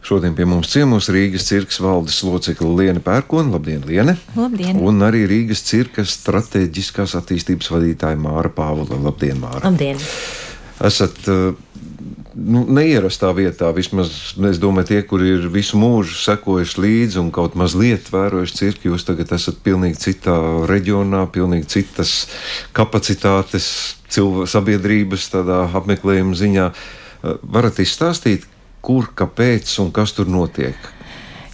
Šodien pie mums ciemos Rīgas cirkas valdes locekle Liene Pērkone. Labdien, Liene! Labdien! Un arī Rīgas cirkas strateģiskās attīstības vadītāja Māra Pāvula. Labdien, Māra! Labdien! Esat neierastā vietā, vismaz es domāju, tie, kuri ir visu mūžu sekojuši līdzi un kaut mazliet vērojuši cirku, jūs tagad esat pilnīgi citā reģionā, pilnīgi citas kapacitātes sabiedrības tādā apmeklējuma ziņā. Varat izstāstīt, kur, kāpēc un kas tur notiek?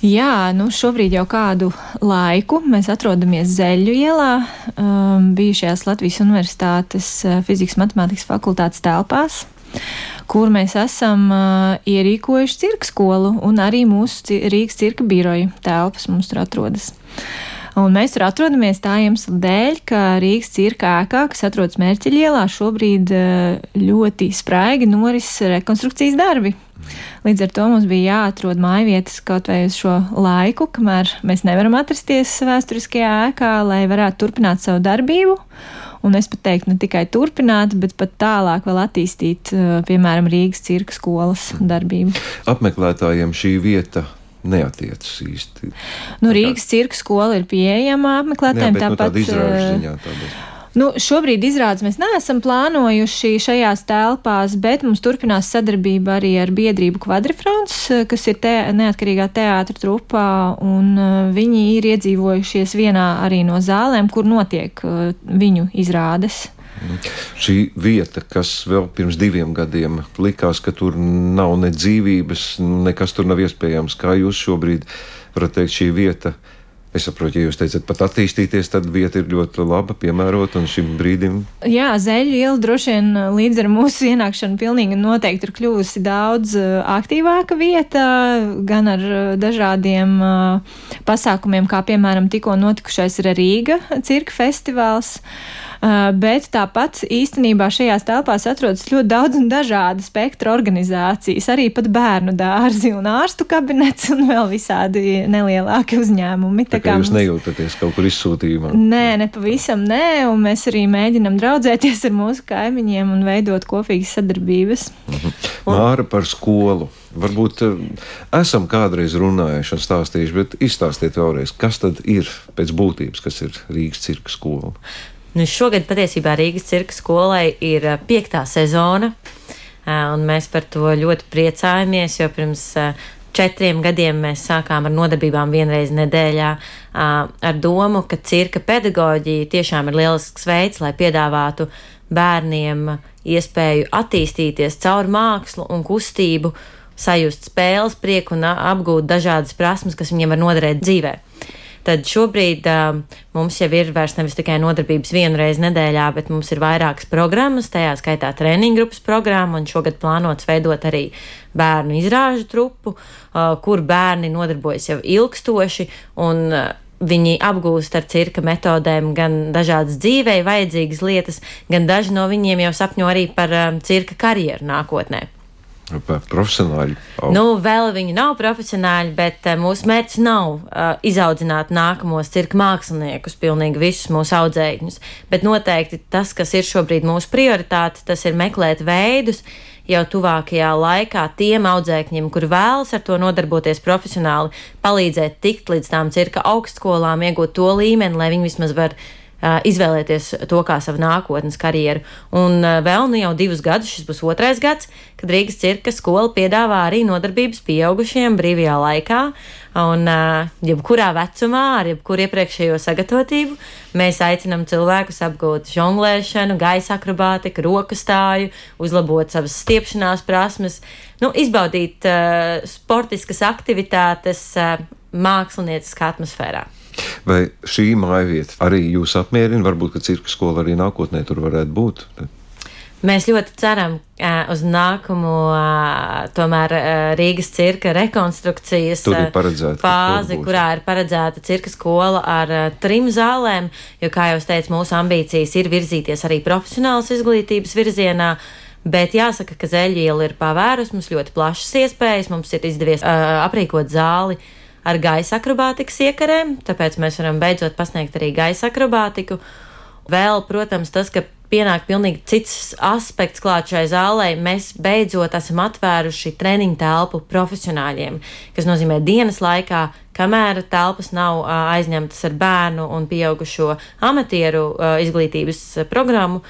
Jā, šobrīd jau kādu laiku mēs atrodamies Zeļu ielā, bijušajās Latvijas Universitātes fizikas matemātikas fakultātes telpās, kur mēs esam ierīkojuši cirka skolu, un arī mūsu Rīgas cirka biroja telpas mums tur atrodas. Un mēs tur atrodamies tā iemesla dēļ, ka Rīgas cirka ēkā, kas atrodas Mērķeļa ielā, šobrīd ļoti spraigi noris rekonstrukcijas darbi. Līdz ar to mums bija jāatrod mājvietas kaut vai uz šo laiku, kamēr mēs nevaram atrasties vēsturiskajā ēkā, lai varētu turpināt savu darbību. Un es pat teiktu, ne tikai turpināt, bet pat tālāk vēl attīstīt, piemēram, Rīgas cirka skolas darbību. Apmeklētājiem šī vieta neatiecas īsti. Rīgas cirka skola ir pieejama apmeklētājiem. Jā, bet tāda izrāžu ziņā tāda. Šobrīd izrādes mēs neesam plānojuši šajās telpās, bet mums turpinās sadarbība arī ar biedrību Kvadrifrons, kas ir neatkarīgā teātra trupā, un viņi ir iedzīvojušies vienā arī no zālēm, kur notiek viņu izrādes. Šī vieta, kas vēl pirms 2 gadiem likās, ka tur nav ne dzīvības, nekas tur nav iespējams, kā jūs šobrīd varat teikt, šī vieta? Es saprotu, ja jūs teicat pat attīstīties, tad vieta ir ļoti laba, piemērota un šim brīdim. Jā, Zeļu iela droši vien līdz ar mūsu ienākšanu pilnīgi noteikti ir kļuvusi daudz aktīvāka vieta, gan ar dažādiem pasākumiem, kā piemēram tikko notikušais Rīga cirka festivāls. Bet tāpat īstenībā šajās telpās atrodas ļoti daudz un dažāda spektra organizācijas, arī pat bērnu dārzi un ārstu kabinets un vēl visādi nelielāki uzņēmumi. Tā kā jūs nejūtaties kaut kur izsūtījumā? Nē, pavisam nē, un mēs arī mēģinam draudzēties ar mūsu kaimiņiem un veidot kopīgas sadarbības. Māra, par skolu. Varbūt esam kādreiz runājuši un stāstījuši, bet izstāstiet vēlreiz, kas tad ir pēc būtības, kas ir Rīgas cirka skola? Šogad patiesībā Rīgas cirka skolai ir 5. sezona, un mēs par to ļoti priecājamies, jo pirms 4 gadiem mēs sākām ar nodarbībām vienreiz nedēļā ar domu, ka cirka pedagoģija tiešām ir lielisks veids, lai piedāvātu bērniem iespēju attīstīties caur mākslu un kustību, sajust spēles prieku un apgūt dažādas prasmes, kas viņiem var noderēt dzīvē. Tad šobrīd mums jau ir vairs nevis tikai nodarbības vienreiz nedēļā, bet mums ir vairākas programmas, tajā skaitā treniņu grupas programma, un šogad plānots veidot arī bērnu izrāžu trupu, kur bērni nodarbojas jau ilgstoši, un viņi apgūst ar cirka metodēm gan dažādas dzīvei vajadzīgas lietas, gan daži no viņiem jau sapņo arī par cirka karjeru nākotnē. Profesionāļi. Vēl viņi nav profesionāļi, bet mūsu mērķis nav izaudzināt nākamos cirka māksliniekus, pilnīgi visus mūsu audzēkņus, bet noteikti tas, kas ir šobrīd mūsu prioritāte, tas ir meklēt veidus jau tuvākajā laikā tiem audzēkņiem, kuri vēlas ar to nodarboties profesionāli, palīdzēt tikt līdz tām cirka augstskolām, iegūt to līmeni, lai viņi vismaz var izvēlēties to kā savu nākotnes karjeru. Un vēl jau 2 gadus, šis būs 2. gads, kad Rīgas cirka skola piedāvā arī nodarbības pieaugušiem brīvajā laikā. Un jebkurā vecumā, ar jebkuru iepriekšējo sagatavotību, mēs aicinām cilvēkus apgūt žonglēšanu, gaisa akrobātiku, rokastāju, uzlabot savas stiepšanās prasmes, izbaudīt sportiskas aktivitātes mākslinieckā atmosfērā. Vai šī mājvieta arī jūs apmierina? Varbūt, ka cirka skola arī nākotnē tur varētu būt? Mēs ļoti ceram uz nākamo tomēr Rīgas cirka rekonstrukcijas fāzi, kurā ir paredzēta cirka skola ar 3 zālēm, jo, kā jau es teicu, mūsu ambīcijas ir virzīties arī profesionālas izglītības virzienā. Bet jāsaka, ka Zeļu iela ir pavērusi mums ļoti plašas iespējas. Mums ir izdevies aprīkot zāli ar gaisa akrobātikas iekarēm, tāpēc mēs varam beidzot pasniegt arī gaisa akrobātiku. Vēl, protams, tas, ka pienāk pilnīgi cits aspekts klāt šai zālē. Mēs beidzot esam atvēruši treniņu telpu profesionāļiem, kas nozīmē dienas laikā, kamēr telpas nav aizņemtas ar bērnu un pieaugušo amatieru izglītības programmu,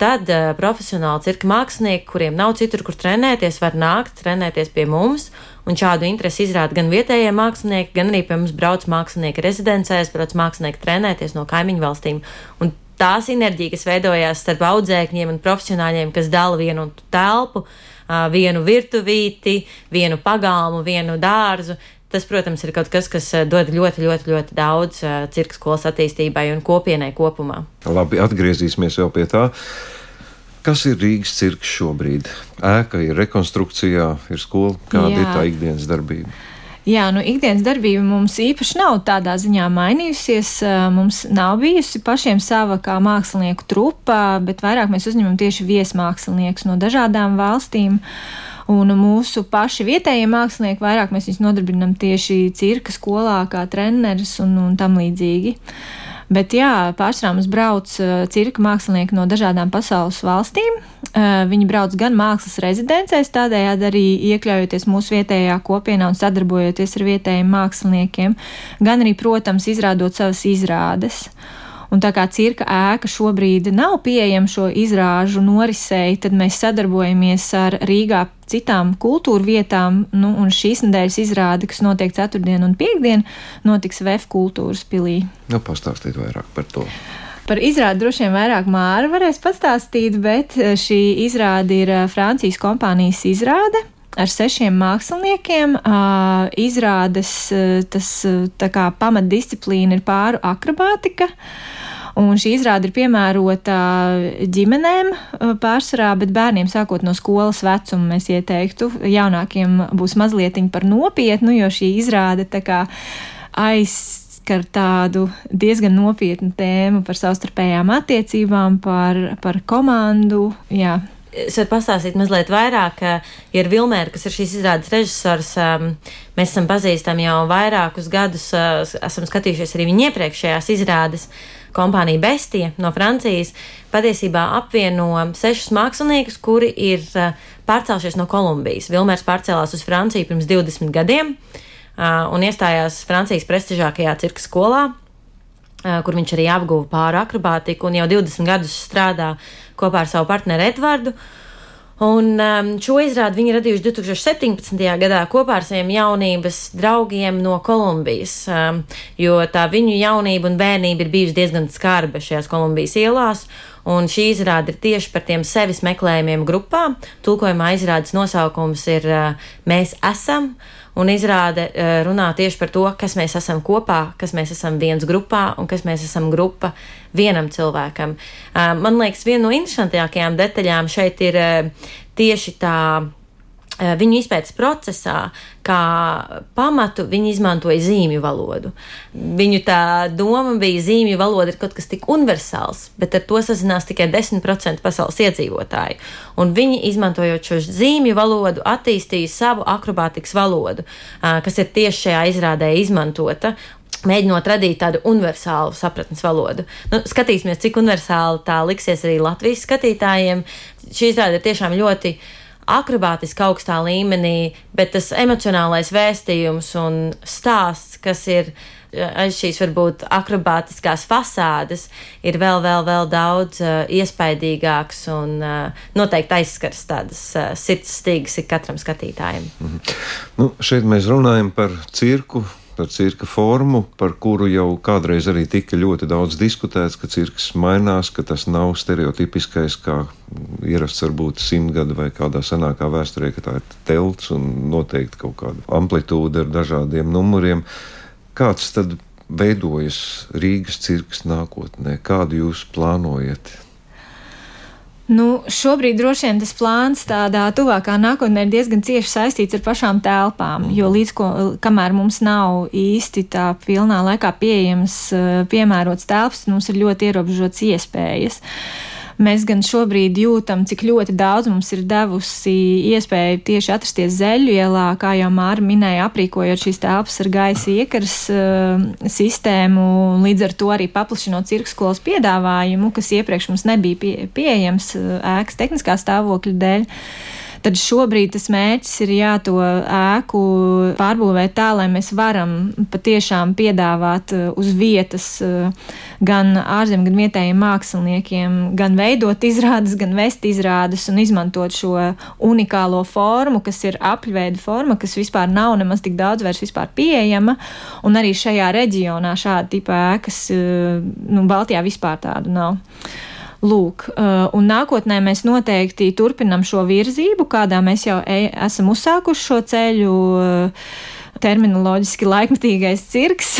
tad profesionāli cirka mākslinieki, kuriem nav citur, kur trenēties, var nākt, trenēties pie mums, un šādu interesi izrāda gan vietējie mākslinieki, gan arī pie mums brauc mākslinieki rezidencēs, brauc mākslinieki trenēties no kaimiņu valstīm. Un tā sinerģija, kas veidojās starp audzēkņiem un profesionāļiem, kas dala vienu telpu, vienu virtuvīti, vienu pagalmu, vienu dārzu, tas, protams, ir kaut kas, kas dod ļoti, ļoti, ļoti daudz cirka skolas attīstībai un kopienai kopumā. Labi, atgriezīsimies vēl pie tā. Kas ir Rīgas cirks šobrīd? Ēka ir rekonstrukcijā, ir skola. Kāda ir tā ikdienas darbība? Jā, ikdienas darbība mums īpaši nav tādā ziņā mainījusies. Mums nav bijusi pašiem sava kā mākslinieku trupa, bet vairāk mēs uzņemam tieši viesmāksliniekus no dažādām valstīm. Un mūsu paši vietējie mākslinieki vairāk mēs viņus nodarbinam tieši cirka skolā kā treneris un tam līdzīgi. Bet jā, pārsvarā mums brauc cirka mākslinieki no dažādām pasaules valstīm. Viņi brauc gan mākslas rezidencēs, tādējādi arī iekļaujoties mūsu vietējā kopienā un sadarbojoties ar vietējiem māksliniekiem, gan arī, protams, izrādot savas izrādes. Un tā kā cirka ēka šobrīd nav pieejama šo izrāžu norisei, tad mēs sadarbojamies ar Rīgā citām kultūra vietām, un šīs nedēļas izrāde, kas notiek ceturtdien un piekdien, notiks VF kultūras pilī. Pastāstīt vairāk par to. Par izrādi droši vien vairāk Māra varēs pastāstīt, bet šī izrāde ir Francijas kompānijas izrāde ar 6 māksliniekiem. Izrādes tā kā pamatdisciplīna ir pāru akrobātika. Un šī izrāde ir piemērota ģimenēm pārsvarā, bet bērniem sākot no skolas vecuma mēs ieteiktu. Jaunākiem būs mazlietiņi par nopietnu, jo šī izrāde tā kā aizskar tādu diezgan nopietnu tēmu par savstarpējām attiecībām, par komandu, jā. Es varu pastāstīt mazliet vairāk, ir Vilmēra, kas ir šīs izrādes režisors. Mēs esam pazīstami jau vairākus gadus, esam skatījušies arī viņa iepriekšējās izrādes. Kompānija Bestie no Francijas patiesībā apvieno 6 māksliniekus, kuri ir pārcēlušies no Kolumbijas. Vilmērs pārcēlās uz Franciju pirms 20 gadiem un iestājās Francijas prestižākajā cirka skolā, kur viņš arī apguva pāri akrobātiku un jau 20 gadus strādā kopā ar savu partneri Edvardu. Un šo izrādi viņi radījuši 2017. gadā kopā ar saviem jaunības draugiem no Kolumbijas, jo tā viņu jaunība un bērnība ir bijusi diezgan skarba šajās Kolumbijas ielās, un šī izrāde ir tieši par tiem sevis meklējumiem grupā. Tulkojumā izrādes nosaukums ir Mēs esam, un izrāde runā tieši par to, kas mēs esam kopā, kas mēs esam viens grupā un kas mēs esam grupa vienam cilvēkam. Man liekas, viena no interesantākajām detaļām šeit ir tieši tā viņu izpētes procesā, kā pamatu viņi izmantoja zīmju valodu. Viņu tā doma bija, zīmju valoda ir kaut kas tik universāls, bet ar to sazinās tikai 10% pasaules iedzīvotāju. Un viņi, izmantojot šo zīmju valodu, attīstīja savu akrobātikas valodu, kas ir tieši šajā izrādē izmantota, mēģinot radīt tādu universālu sapratnes valodu. Skatīsimies, cik universāli tā liksies arī Latvijas skatītājiem. Šī izrāde ir tiešām ļoti akrobātiski augstā līmenī, bet tas emocionālais vēstījums un stāsts, kas ir aiz šīs varbūt akrobātiskās fasādes, ir vēl daudz iespaidīgāks un noteikti aizskars tādas sirds stīgas ik katram skatītājam. Šeit mēs runājam par cirku, par cirka formu, par kuru jau kādreiz arī tika ļoti daudz diskutēts, ka cirks mainās, ka tas nav stereotipiskais, kā ierasts varbūt 100 gadu vai kādā senākā vēsturē, ka tā ir telts un noteikti kaut kāda amplitūda ar dažādiem numuriem. Kāds tad veidojas Rīgas cirks nākotnē? Kādu jūs plānojat? Šobrīd droši vien tas plāns tādā tuvākā nākotnē ir diezgan cieši saistīts ar pašām telpām, jo kamēr mums nav īsti tā pilnā laikā pieejams piemērots telpas, mums ir ļoti ierobežots iespējas. Mēs gan šobrīd jūtam, cik ļoti daudz mums ir devusi iespēju tieši atrasties Zeļu ielā, kā jau Māra minēja, aprīkojot šīs telpas ar gaisa iekaras sistēmu, līdz ar to arī paplašinot cirkskolas piedāvājumu, kas iepriekš mums nebija pieejams ēkas tehniskā stāvokļa dēļ. Tad šobrīd tas mērķis ir to ēku pārbūvēt tā, lai mēs varam patiešām piedāvāt uz vietas gan ārzemju, gan vietējiem māksliniekiem, gan veidot izrādes, gan vest izrādes un izmantot šo unikālo formu, kas ir apļveida forma, kas vispār nav nemaz tik daudz vairs vispār pieejama, un arī šajā reģionā šāda tipa ēkas, Baltijā vispār tādu nav. Lūk, un nākotnē mēs noteikti turpinam šo virzību, kādā mēs jau esam uzsākuši šo ceļu, terminoloģiski laikmetīgais cirks,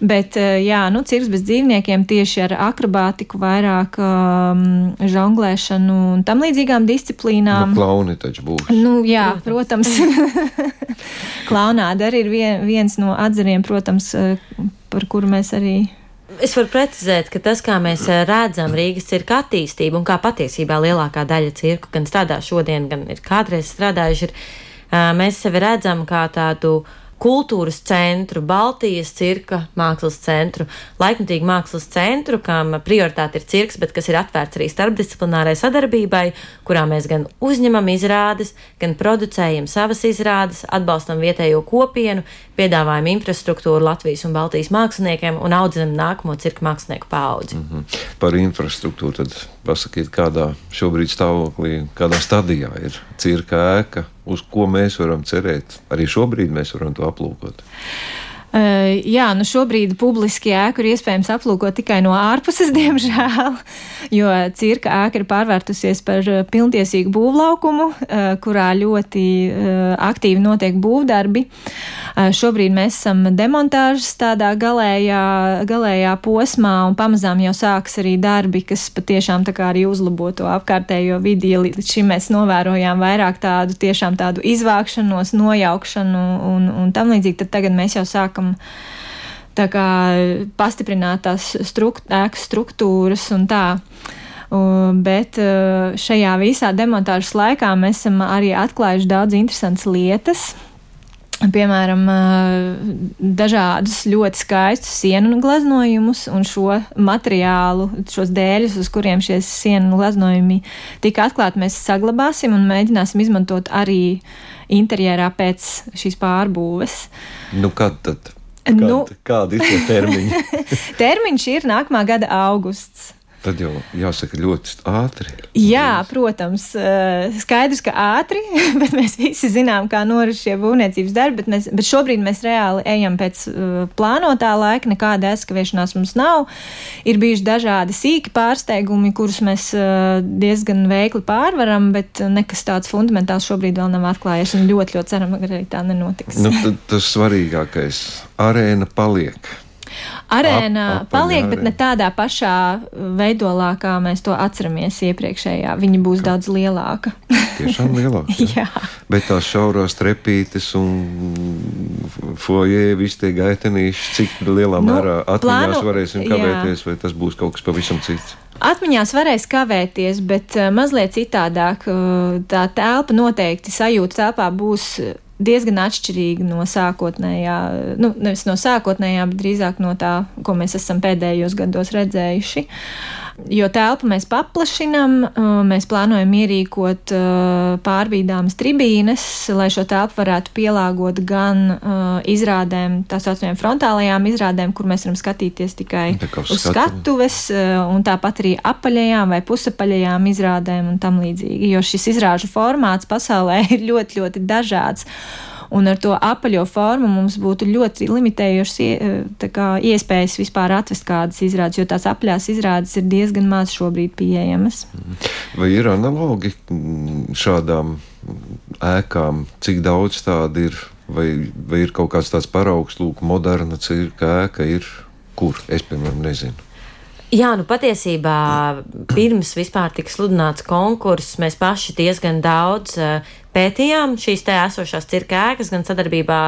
bet cirks bez dzīvniekiem tieši ar akrobātiku, vairāk žonglēšanu un tam līdzīgām disciplīnām. Klauni taču būs. Protams. Klaunāda arī ir viens no atzariem, protams, par kuru mēs arī... Es varu precizēt, ka tas, kā mēs redzam Rīgas cirka attīstību un kā patiesībā lielākā daļa cirku gan strādā šodien, gan ir kādreiz strādājuši, mēs sevi redzam kā tādu kultūras centru, Baltijas cirka mākslas centru, laikmetīgu mākslas centru, kam prioritāte ir cirks, bet kas ir atvērts arī starpdisciplinārai sadarbībai, kurā mēs gan uzņemam izrādes, gan producējam savas izrādes, atbalstam vietējo kopienu, piedāvājam infrastruktūru Latvijas un Baltijas māksliniekiem un audzinam nākamo cirka mākslinieku paudzi. Par infrastruktūru tad pasakiet, kādā šobrīd stāvoklī, kādā stadijā ir cirka ēka, uz ko mēs varam cerēt. Arī šobrīd mēs varam to aplūkot. Šobrīd publiski ēku ir iespējams aplūkot tikai no ārpuses, diemžēl, jo cirka ēka ir pārvērtusies par pilntiesīgu būvlaukumu, kurā ļoti aktīvi notiek būvdarbi. Šobrīd mēs esam demontāžas tādā galējā posmā un pamazām jau sāks arī darbi, kas patiešām tā kā arī uzlabo to apkārtējo vidi. Līdz šim mēs novērojām vairāk tādu izvākšanos, nojaukšanu un tam līdzīgi, tad tagad mēs jau sākam tā kā pastiprināt tās ēkas struktūras un tā. Bet šajā visā demontāžas laikā mēs esam arī atklājuši daudz interesantas lietas. Piemēram, dažādus ļoti skaistus sienu gleznojumus un šo materiālu, šos dēļus, uz kuriem šie sienu gleznojumi tika atklāti, mēs saglabāsim un mēģināsim izmantot arī interjerā pēc šīs pārbūves. Kad tad? Kādi ir tie termiņi? Termiņš ir nākamā gada augusts. Tad jau jāsaka ļoti ātri. Jā, protams, skaidrs, ka ātri, bet mēs visi zinām, kā norit šie būvniecības darbi, bet šobrīd mēs reāli ejam pēc plānotā laika, nekāda aizkavēšanās mums nav. Ir bijuši dažādi sīki pārsteigumi, kurus mēs diezgan veikli pārvaram, bet nekas tāds fundamentāls šobrīd vēl nav atklājies un ļoti, ļoti ceram, ka arī tā nenotiks. Tas svarīgākais - arēna paliek. Arēna paliek, bet ne tādā pašā veidolā, kā mēs to atceramies iepriekšējā. Viņa būs daudz lielāka. Tiešām lielāka? Jā. Bet tās šaurās trepītes un foje, visi tie gaitenīši, cik lielā mērā atmiņās varēsim kavēties, vai tas būs kaut kas pavisam cits? Atmiņās varēs kavēties, bet mazliet citādāk. Tā telpa noteikti sajūta telpā būs diezgan atšķirīga no sākotnējā, nevis no sākotnējā, bet drīzāk no tā, ko mēs esam pēdējos gados redzējuši. Jo telpu mēs paplašinam, mēs plānojam ierīkot pārbīdāmas tribīnes, lai šo telpu varētu pielāgot gan izrādēm, tā saucamajām frontālajām izrādēm, kur mēs varam skatīties tikai uz skatuves, un tāpat arī apaļajām vai pusapaļajām izrādēm un tam līdzīgi. Jo šis izrāžu formāts pasaulē ir ļoti, ļoti dažāds. Un ar to apaļo formu mums būtu ļoti limitējošas iespējas vispār atvest kādas izrādes, jo tās apaļās izrādes ir diezgan maz šobrīd pieejamas. Vai ir analogi šādām ēkām? Cik daudz tāda ir? Vai ir kaut kāds tāds paraugs, moderna cirka ēka ir? Kur? Es, piemēram, nezinu. Jā, patiesībā pirms vispār tika sludināts konkurss, mēs paši diezgan daudz pētījām šīs te esošās cirka ēkas, gan sadarbībā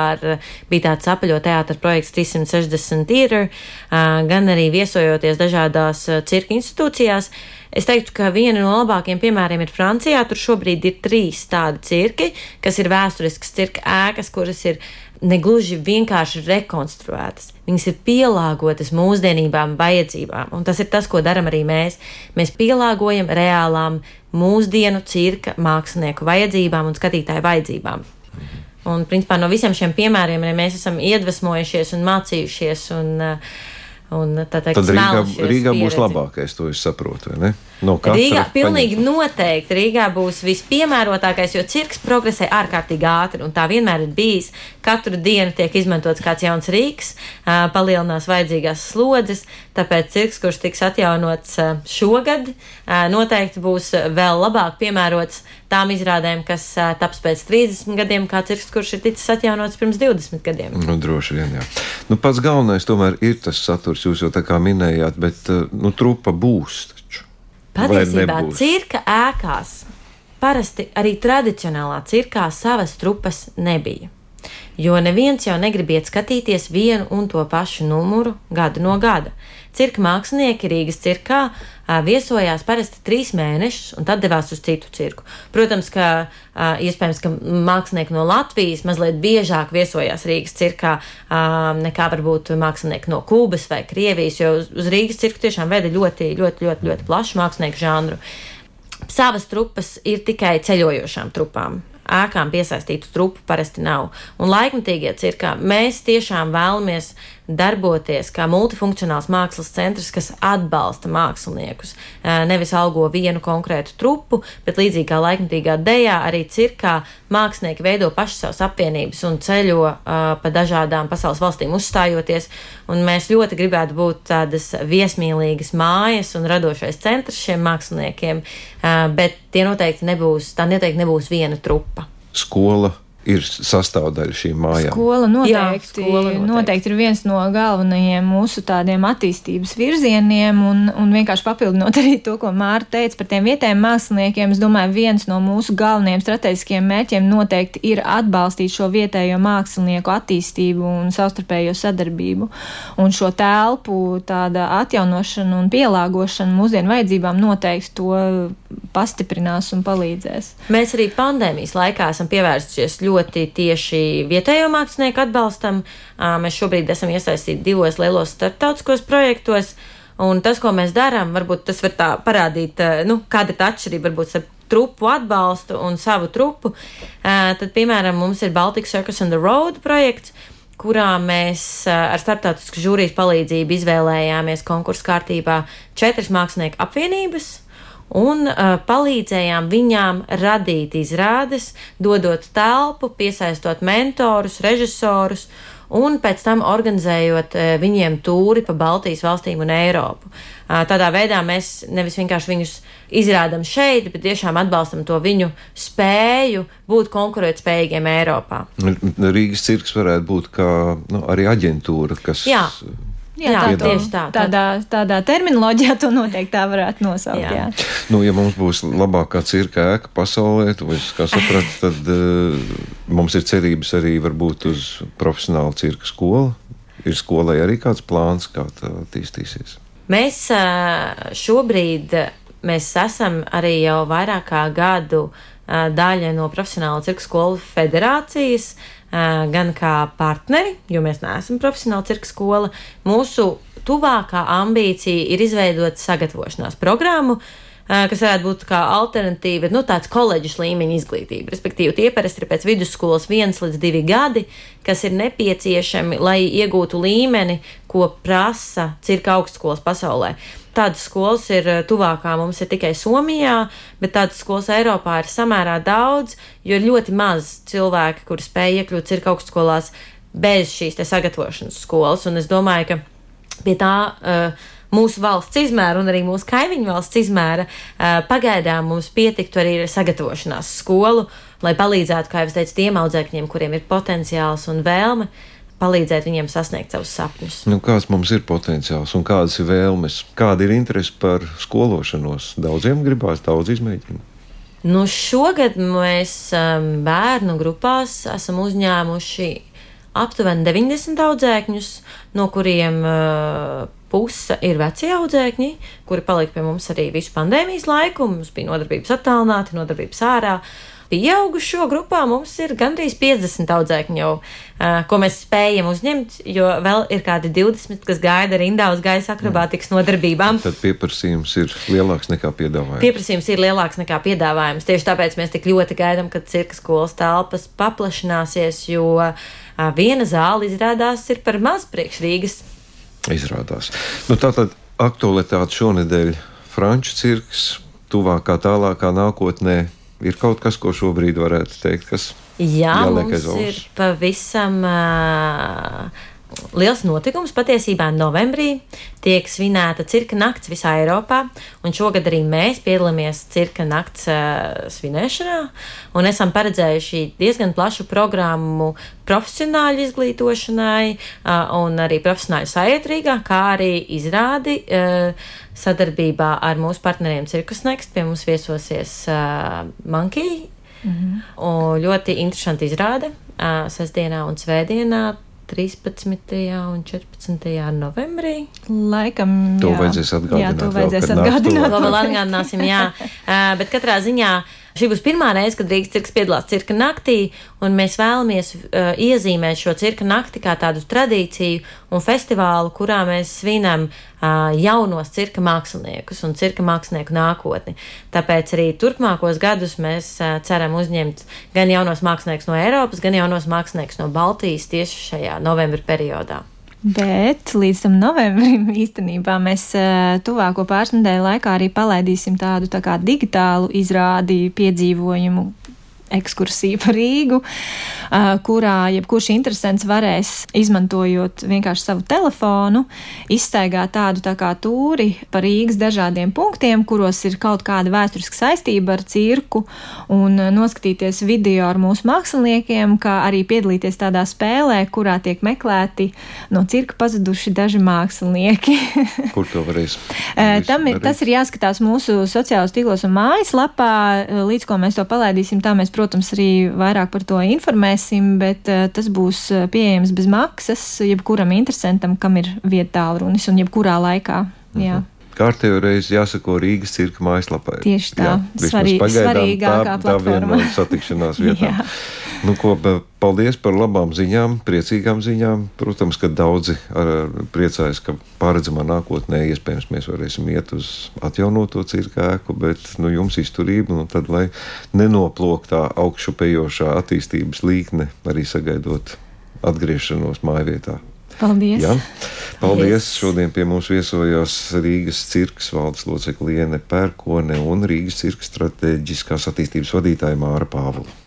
bija tāds apaļo teātra projekts 360 Theatre, gan arī viesojoties dažādās cirka institūcijās. Es teiktu, ka viena no labākajiem piemēriem ir Francijā. Tur šobrīd ir 3 tādi cirki, kas ir vēsturiskas cirka ēkas, kuras ir negluži vienkārši rekonstruētas. Viņas ir pielāgotas mūsdienībām, vajadzībām. Un tas ir tas, ko daram arī mēs. Mēs pielāgojam reālām mūsdienu cirka mākslinieku vajadzībām un skatītāju vajadzībām. Un, principā, no visiem šiem piemēriem mēs esam iedvesmojušies un mācījušies un tad Rīgā būs labākais, to es saprotu, vai ne? No Rīgā pilnīgi noteikti. Rīgā būs vispiemērotākais, jo cirks progresē ārkārtīgi ātri, un tā vienmēr ir bijis. Katru dienu tiek izmantots kāds jauns rīks, palielinās vajadzīgās slodzes, tāpēc cirks, kurš tiks atjaunots šogad, noteikti būs vēl labāk piemērots tām izrādēm, kas taps pēc 30 gadiem, kā cirks, kurš ir ticis atjaunots pirms 20 gadiem. Nu, droši vien, jā. Nu, pats galvenais tomēr ir tas saturs, jūs jau tā kā minējāt, bet trupa būs taču. Patiesībā cirka ēkās parasti arī tradicionālā cirkā savas trupas nebija. Jo neviens jau negribiet skatīties vienu un to pašu numuru gadu no gada. Cirka mākslinieki Rīgas cirkā viesojās parasti 3 mēnešus un tad devās uz citu cirku. Protams, ka iespējams, ka mākslinieki no Latvijas mazliet biežāk viesojās Rīgas cirkā nekā varbūt mākslinieki no Kubas vai Krievijas, jo uz Rīgas cirku tiešām veda ļoti plašu mākslinieku žanru. Savas trupas ir tikai ceļojošām trupām. Ēkām piesaistītu trupu parasti nav. Un laikmatīgie cirkā mēs tiešām vēlamies darboties kā multifunkcionāls mākslas centrs, kas atbalsta māksliniekus. Nevis algo vienu konkrētu trupu, bet līdzīgi kā laikmatīgā dejā, arī cirkā mākslinieki veido paši savas apvienības un ceļo pa dažādām pasaules valstīm uzstājoties. Un mēs ļoti gribētu būt tādas viesmīlīgas mājas un radošais centrs šiem māksliniekiem, bet tā noteikti nebūs viena trupa. Skola ir sastāvdaļa šīm mājām. Skola noteikti ir viens no galvenajiem mūsu tādiem attīstības virzieniem, un vienkārši papildinot arī to, ko Māra teica par tiem vietējiem māksliniekiem. Es domāju, viens no mūsu galvenajiem strateģiskiem mērķiem noteikti ir atbalstīt šo vietējo mākslinieku attīstību un savstarpējo sadarbību. Un šo telpu tāda atjaunošana un pielāgošana mūsdienu vajadzībām noteikti to pastiprinās un palīdzēs. Mēs arī pandēmijas laikā esam pievērstušies ļoti tieši vietējo mākslinieku atbalstam. Mēs šobrīd esam iesaistīti 2 lielos starptautiskos projektos, un tas, ko mēs darām, varbūt tas var tā parādīt, kāda ir tā atšķirība varbūt starp trupu atbalstu un savu trupu. Tad, piemēram, mums ir Baltic Circus on the Road projekts, kurā mēs ar starptautisku žūrijas palīdzību izvēlējāmies konkursu kārtībā 4 mākslinieku apvienības, un palīdzējām viņām radīt izrādes, dodot telpu, piesaistot mentorus, režisorus un pēc tam organizējot viņiem tūri pa Baltijas valstīm un Eiropu. Tādā veidā mēs nevis vienkārši viņus izrādam šeit, bet tiešām atbalstam to viņu spēju būt konkurētspējīgiem Eiropā. Rīgas cirks varētu būt kā arī aģentūra, kas... Jā, tieši tā. Tādā terminoloģijā to noteikti tā varētu nosaukt. Jā. Ja mums būs labākā cirka ēka pasaulē, kā sapratu, tad mums ir cerības arī varbūt uz profesionālu cirka skolu. Ir skolai arī kāds plāns, kā tā attīstīsies? Mēs šobrīd esam arī jau vairāk kā gadu daļa no Profesionāla cirka skolu federācijas, gan kā partneri, jo mēs neesam profesionāla cirka skola. Mūsu tuvākā ambīcija ir izveidot sagatavošanās programmu, kas varētu būt kā alternatīva, tāds koledžas līmeņa izglītība. Respektīvi, tie parasti ir pēc vidusskolas 1 līdz 2 gadi, kas ir nepieciešami, lai iegūtu līmeni, ko prasa cirka augstskolas pasaulē. Tādas skolas ir tuvākā mums ir tikai Somijā, bet tādas skolas Eiropā ir samērā daudz, jo ir ļoti maz cilvēki, kuri spēj iekļūt cirka augstskolās bez šīs te sagatavošanas skolas. Un es domāju, ka pie tā mūsu valsts izmēra un arī mūsu kaimiņu valsts izmēra pagaidām mums pietiktu arī sagatavošanās skolu, lai palīdzētu, kā jau es teicu, tiem audzēkņiem, kuriem ir potenciāls un vēlme, palīdzēt viņiem sasniegt savus sapņus. Kāds mums ir potenciāls un kādas ir vēlmes? Kāda ir interese par skološanos? Daudziem gribās daudz izmēģināt. Nu, šogad mēs bērnu grupās esam uzņēmuši aptuveni 90 audzēkņus, no kuriem puse ir veci audzēkņi, kuri palika pie mums arī visu pandēmijas laiku. Mums bija nodarbības attālināti, nodarbības ārā. Pieaugušo grupā mums ir gandrīz 50 audzēkņi jau, ko mēs spējam uzņemt, jo vēl ir kādi 20, kas gaida rindā uz gaisa akrobātikas nodarbībām. Tad pieprasījums ir lielāks nekā piedāvājums. Pieprasījums ir lielāks nekā piedāvājums. Tieši tāpēc mēs tik ļoti gaidām, kad cirka skolas telpas paplašināsies, jo viena zāle izrādās ir par maz priekš Rīgas. Izrādās. Nu, tātad aktualitāte šonedēļ Franču cirks, tuvākā tālākā nākotnē. Ir kaut kas, ko šobrīd varētu teikt, kas jāliek aiz auss? Ir pavisam liels notikums. Patiesībā novembrī tiek svinēta cirka nakts visā Eiropā, un šogad arī mēs piedalāmies cirka nakts svinēšanā, un esam paredzējuši diezgan plašu programmu profesionāļu izglītošanai un arī profesionāļu sajūtu Rīgā, kā arī izrādi sadarbībā ar mūsu partneriem Cirkus Next. Pie mums viesosies Monkey, un ļoti interesanti izrāde sestdienā un svētdienā 13. un 14. novembrī. Laikam, to vajadzēs atgādināt. Jā, to vajadzēs atgādināt. To vēl atgādināsim, jā. Bet katrā ziņā šī būs pirmā reize, kad Rīgas cirks piedalās cirka naktī, un mēs vēlamies iezīmēt šo cirka nakti kā tādu tradīciju un festivālu, kurā mēs svinam jaunos cirka māksliniekus un cirka mākslinieku nākotni. Tāpēc arī turpmākos gadus mēs ceram uzņemt gan jaunos māksliniekus no Eiropas, gan jaunos māksliniekus no Baltijas tieši šajā novembra periodā. Bet līdz tam novembrim īstenībā mēs tuvāko pāris nedēļu laikā arī palaidīsim tādu tā kā digitālu izrādi piedzīvojumu ekskursiju par Rīgu, kurā jebkurš interesants varēs, izmantojot vienkārši savu telefonu, izstaigāt tādu tā kā tūri pa Rīgas dažādiem punktiem, kuros ir kaut kāda vēsturiska saistība ar cirku, un noskatīties video ar mūsu māksliniekiem, kā arī piedalīties tādā spēlē, kurā tiek meklēti no cirka pazuduši daži mākslinieki. Kur to varēs? Tas ir jāskatās mūsu sociālos tīklos un mājaslapā, līdz ko mēs to palaidīsim, tā mēs, protams, arī vairāk par to informēsim, bet tas būs pieejams bez maksas jebkuram interesantam, kam ir vieta tālrunis un jebkurā laikā. Jā. Kārtējo reizi jāsako Rīgas cirka mājaslapai. Tieši tā, svarīgākā platforma. Tā viena no satikšanās vietām. Nu, paldies par labām ziņām, priecīgām ziņām. Protams, ka daudzi priecājas, ka paredzamā nākotnē iespējams mēs varēsim iet uz atjaunoto cirka ēku, bet jums izturība, tad lai nenoplok tā augšupējošā attīstības līkne, arī sagaidot atgriešanos mājvietā. Paldies! Ja? Paldies! Šodien pie mums viesojās Rīgas cirkas valdes locekle Liene Pērkone un Rīgas cirka stratēģiskās attīstības vadītāja Māra Pāvula.